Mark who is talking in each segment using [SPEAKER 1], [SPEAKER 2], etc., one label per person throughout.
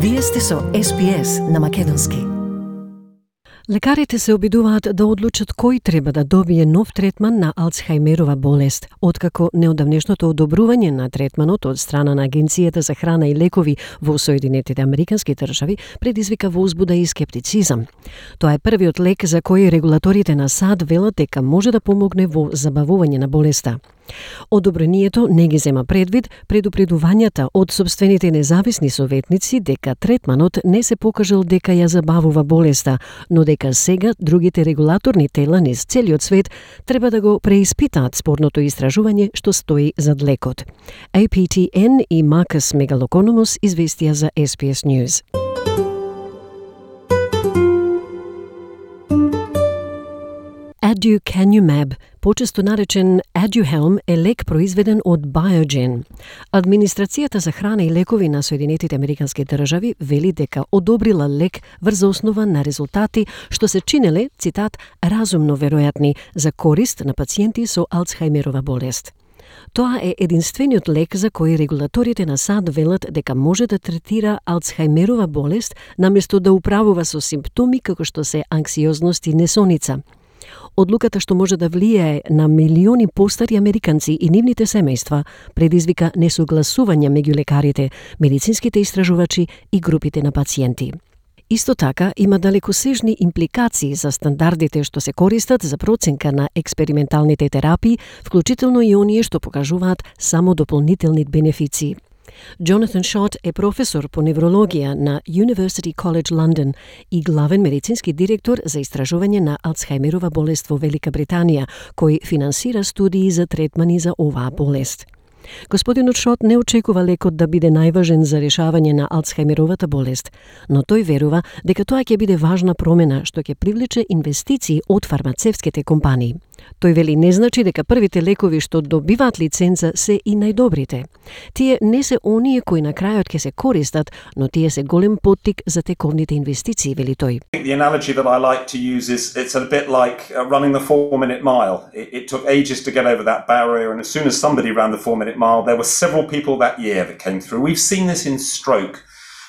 [SPEAKER 1] Вие сте со SPS на македонски.
[SPEAKER 2] Лекарите се обидуваат да одлучат кој треба да добие нов третман на Алцхајмерова болест, откако неодамнешното одобрување на третманот од страна на Агенцијата за храна и лекови во Соединетите Американски држави предизвика возбуда и скептицизам. Тоа е првиот лек за кој регулаторите на САД велат дека може да помогне во забавување на болеста. Одобрението не ги зема предвид предупредувањата од собствените независни советници дека третманот не се покажал дека ја забавува болеста, но дека сега другите регулаторни тела низ целиот свет треба да го преиспитаат спорното истражување што стои зад лекот. APTN и Маркус Мегалокономос известија за SPS News. Aducanumab, почесто наречен Aduhelm, е лек произведен од Biogen. Администрацијата за храна и лекови на Соединетите Американски држави вели дека одобрила лек врз основа на резултати што се чинеле, цитат, разумно веројатни за корист на пациенти со Алцхајмерова болест. Тоа е единствениот лек за кој регулаторите на САД велат дека може да третира Алцхајмерова болест наместо да управува со симптоми како што се анксиозност и несоница. Одлуката што може да влијае на милиони постари американци и нивните семејства предизвика несогласување меѓу лекарите, медицинските истражувачи и групите на пациенти. Исто така има далекосежни импликации за стандардите што се користат за проценка на експерименталните терапии, вклучително и оние што покажуваат само дополнителни бенефиции. Jonathan Schott е професор по неврологија на University College London и главен медицински директор за истражување на Алцхајмерова болест во Велика Британија, кој финансира студии за третмани за оваа болест. Господинот Шот не очекува лекот да биде најважен за решавање на Алцхајмеровата болест, но тој верува дека тоа ќе биде важна промена што ќе привлече инвестиции од фармацевтските компании. Тој вели не значи дека првите лекови што добиваат лиценца се и најдобрите. Тие не се оние кои на крајот ќе се користат, но тие се голем поттик за тековните инвестиции, вели тој.
[SPEAKER 3] The analogy that I like to use is it's a bit like running the 4-minute mile. It took ages to get over that barrier, and as soon as somebody ran the 4-minute mile, there were several people that year that came through. We've seen this in stroke.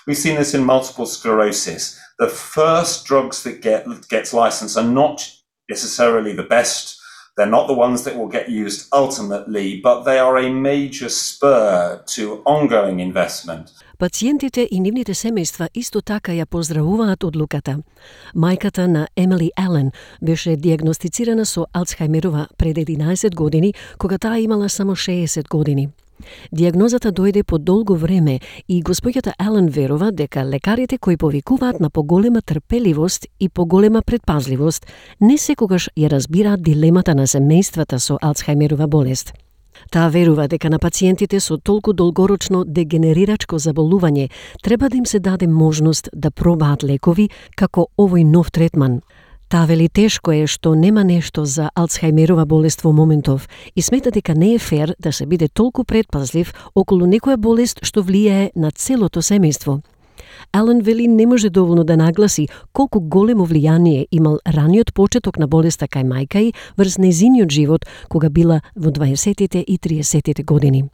[SPEAKER 3] We've seen this in multiple sclerosis. The first drugs that gets licensed are not necessarily the best. They're not the ones that will get used ultimately, but they are a major spur to ongoing investment.
[SPEAKER 2] Пациентите и нивните семејства исто така ја поздравуваат одлуката. Мајката на Емили Ален беше диагностицирана со Алцхајмерова пред 11 години, кога таа имала само 60 години. Диагнозата дојде по долго време и госпоѓата Ален верува дека лекарите кои повикуваат на поголема трпеливост и поголема предпазливост не секогаш ја разбираат дилемата на семејствата со Алцхајмерова болест. Таа верува дека на пациентите со толку долгорочно дегенерирачко заболување треба да им се даде можност да пробаат лекови како овој нов третман. Таа вели тешко е што нема нешто за Алцхајмерова болест во моментов и смета дека не е фер да се биде толку предпазлив околу некоја болест што влијае на целото семејство. Ален вели не може доволно да нагласи колку големо влијание имал раниот почеток на болеста кај мајка и врз нејзиниот живот кога била во 20-тите и 30-тите години.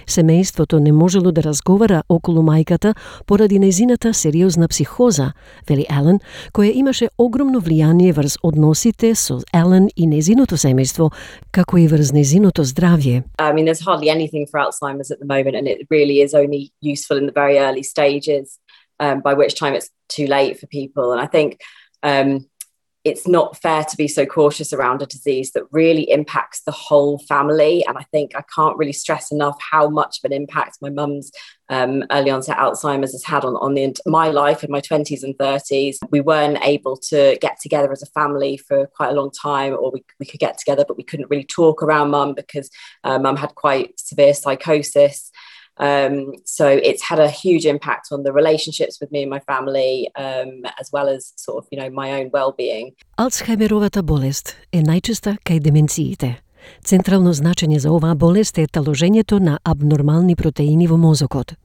[SPEAKER 2] Семејството не можело да разговара околу мајката поради нејзината сериозна психоза, вели Ален, која имаше огромно влијание врз односите со Ален и нејзиното семејство, како и врз нејзиното здравје.
[SPEAKER 4] I mean, there's hardly anything for Alzheimer's at the moment, and it really is only useful in the very early stages, by which time it's too late for people. And I think it's not fair to be so cautious around a disease that really impacts the whole family. And I think I can't really stress enough how much of an impact my mum's early onset Alzheimer's has had on my life in my 20s and 30s. We weren't able to get together as a family for quite a long time, or we could get together, but we couldn't really talk around mum because mum had quite severe psychosis. So it's had a huge impact on the relationships with me and my family, as well as sort of, my own well-being.
[SPEAKER 2] Алцхајмеровата болест е најчеста кај деменциите. Централно значење за оваа болест е таложењето на абнормални протеини во мозокот.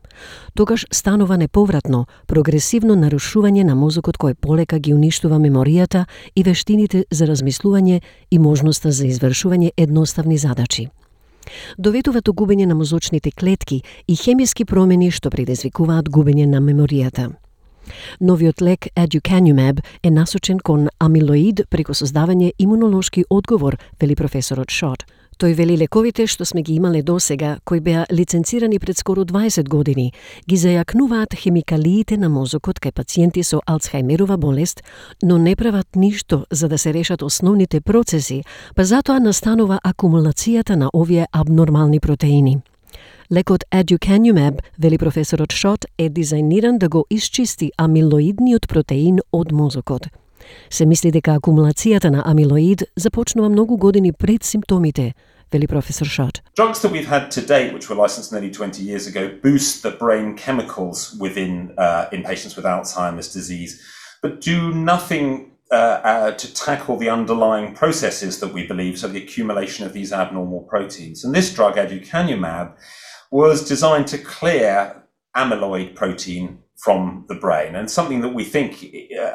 [SPEAKER 2] Тогаш станува неповратно, прогресивно нарушување на мозокот кој полека ги уништува меморијата и вештините за размислување и можноста за извршување едноставни задачи. Доведува до губење на мозочните клетки и хемиски промени што предизвикуваат губење на меморијата. Новиот лек aducanumab е насочен кон амилоид преку создавање имунолошки одговор, вели професорот Schott. Тој вели лековите што сме ги имале досега, кои беа лиценцирани пред скоро 20 години, ги зајакнуваат хемикалиите на мозокот кај пациенти со Алцхајмерова болест, но не прават ништо за да се решат основните процеси, па затоа настанува акумулацијата на овие абнормални протеини. Лекот aducanumab, вели професорот Schott, е дизајниран да го исчисти амилоидниот протеин од мозокот. Се мисли дека акумулацијата на амилоид започнува многу години пред симптомите, вели професор Schott.
[SPEAKER 3] Drugs that we've had to date, which were licensed nearly 20 years ago, boost the brain chemicals within in patients with Alzheimer's disease, but do nothing to tackle the underlying processes that we believe, so the accumulation of these abnormal proteins. And this drug, aducanumab, was designed to clear amyloid protein from the brain, and something that we think,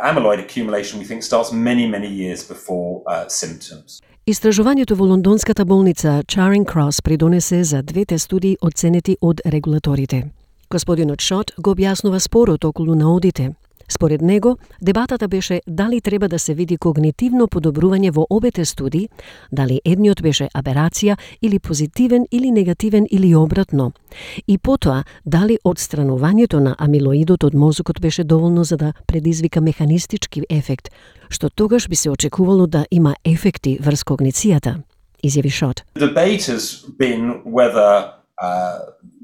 [SPEAKER 3] amyloid accumulation, we think starts many years before symptoms.
[SPEAKER 2] Истражувањето во лондонската болница Charing Cross придонесе за двете студии оценети од регулаторите. Господинот Schott го објаснува спорот околу наодите. Според него, дебатата беше дали треба да се види когнитивно подобрување во обете студии, дали едниот беше аберација или позитивен или негативен или обратно. И потоа, дали одстранувањето на амилоидот од мозокот беше доволно за да предизвика механистички ефект, што тогаш би се очекувало да има ефекти врз когницијата, изјави Schott.
[SPEAKER 3] The debate has been whether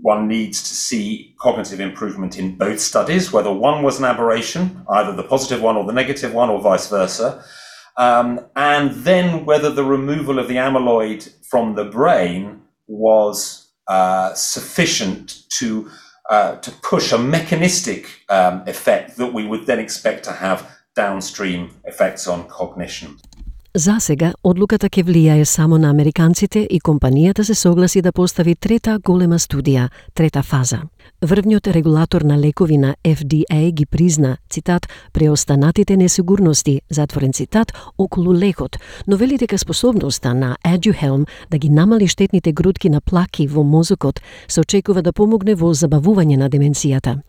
[SPEAKER 3] one needs to see cognitive improvement in both studies, whether one was an aberration, either the positive one or the negative one, or vice versa, and then whether the removal of the amyloid from the brain was sufficient to push a mechanistic effect that we would then expect to have downstream effects on cognition.
[SPEAKER 2] За сега, одлуката ќе влијае само на американците и компанијата се согласи да постави трета голема студија, трета фаза. Врвниот регулатор на лекови на FDA ги призна, цитат, преостанатите несигурности, затворен цитат, околу лекот, но вели дека способноста на Aduhelm да ги намали штетните грудки на плаки во мозокот се очекува да помогне во забавување на деменцијата.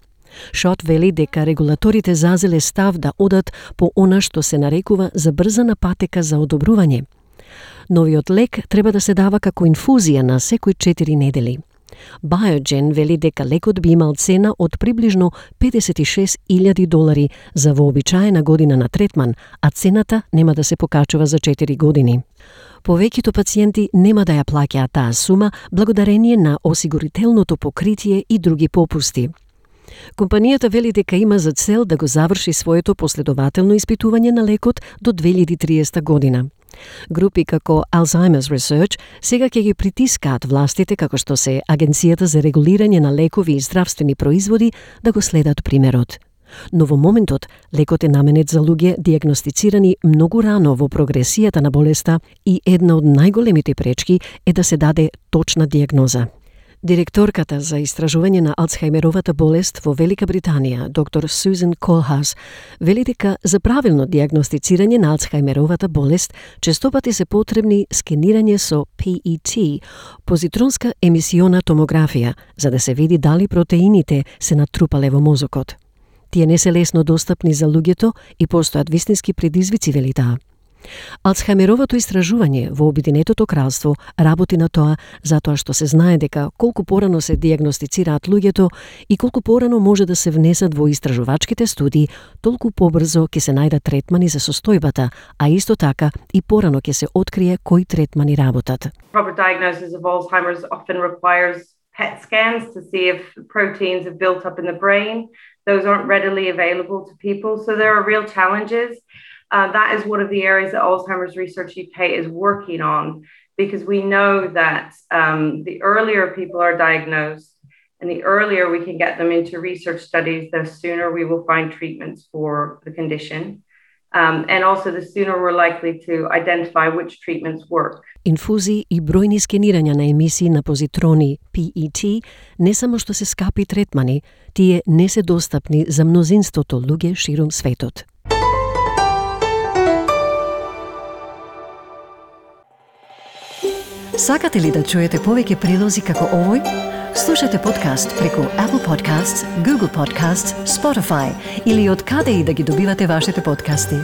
[SPEAKER 2] Schott вели дека регулаторите зазеле став да одат по она што се нарекува забрзана патека за одобрување. Новиот лек треба да се дава како инфузија на секои 4 недели. Biogen вели дека лекот би имал цена од приближно $56,000 за вообичаена година на третман, а цената нема да се покачува за 4 години. Повеќето пациенти нема да ја плаќаат таа сума благодарение на осигурителното покритие и други попусти. Компанијата вели дека има за цел да го заврши своето последователно испитување на лекот до 2030 година. Групи како Alzheimer's Research сега ќе ги притискаат властите како што се Агенцијата за регулирање на лекови и здравствени производи да го следат примерот. Но во моментот, лекот е наменет за луѓе дијагностицирани многу рано во прогресијата на болеста и една од најголемите пречки е да се даде точна дијагноза. Директорката за истражување на Алцхајмеровата болест во Велика Британија, доктор Сузан Колхас, вели дека за правилно дијагностицирање на Алцхајмеровата болест честопати се потребни скенирање со PET, позитронска емисиона томографија, за да се види дали протеините се натрупале во мозокот. Тие не се лесно достапни за луѓето и постојат вистински предизвици, вели таа. Алцхајмеровото истражување во Обединетото кралство работи на тоа затоа што се знае дека колку порано се дијагностицираат луѓето и колку порано може да се внесат во истражувачките студии, толку побрзо ќе се најдат третмани за состојбата, а исто така и порано ќе се открие кои третмани работат.
[SPEAKER 5] Proper diagnosis of Alzheimer's often requires PET scans to see if proteins have built up in the brain. Those aren't readily available to people, so there are real challenges. That is one of the areas that Alzheimer's Research UK is working on, because we know that the earlier people are diagnosed and the earlier we can get them into research studies, the sooner we will find treatments for the condition. And also the sooner we're likely to identify which treatments work.
[SPEAKER 2] Инфузии и бројни скенирања на емисии на позитрони PET не само што се скапи третмани, тие не се достапни за мнозинството луѓе ширум светот.
[SPEAKER 1] Сакате ли да чуете повеќе прилози како овој? Слушате подкаст преку Apple Podcasts, Google Podcasts, Spotify или од каде и да ги добивате вашите подкасти.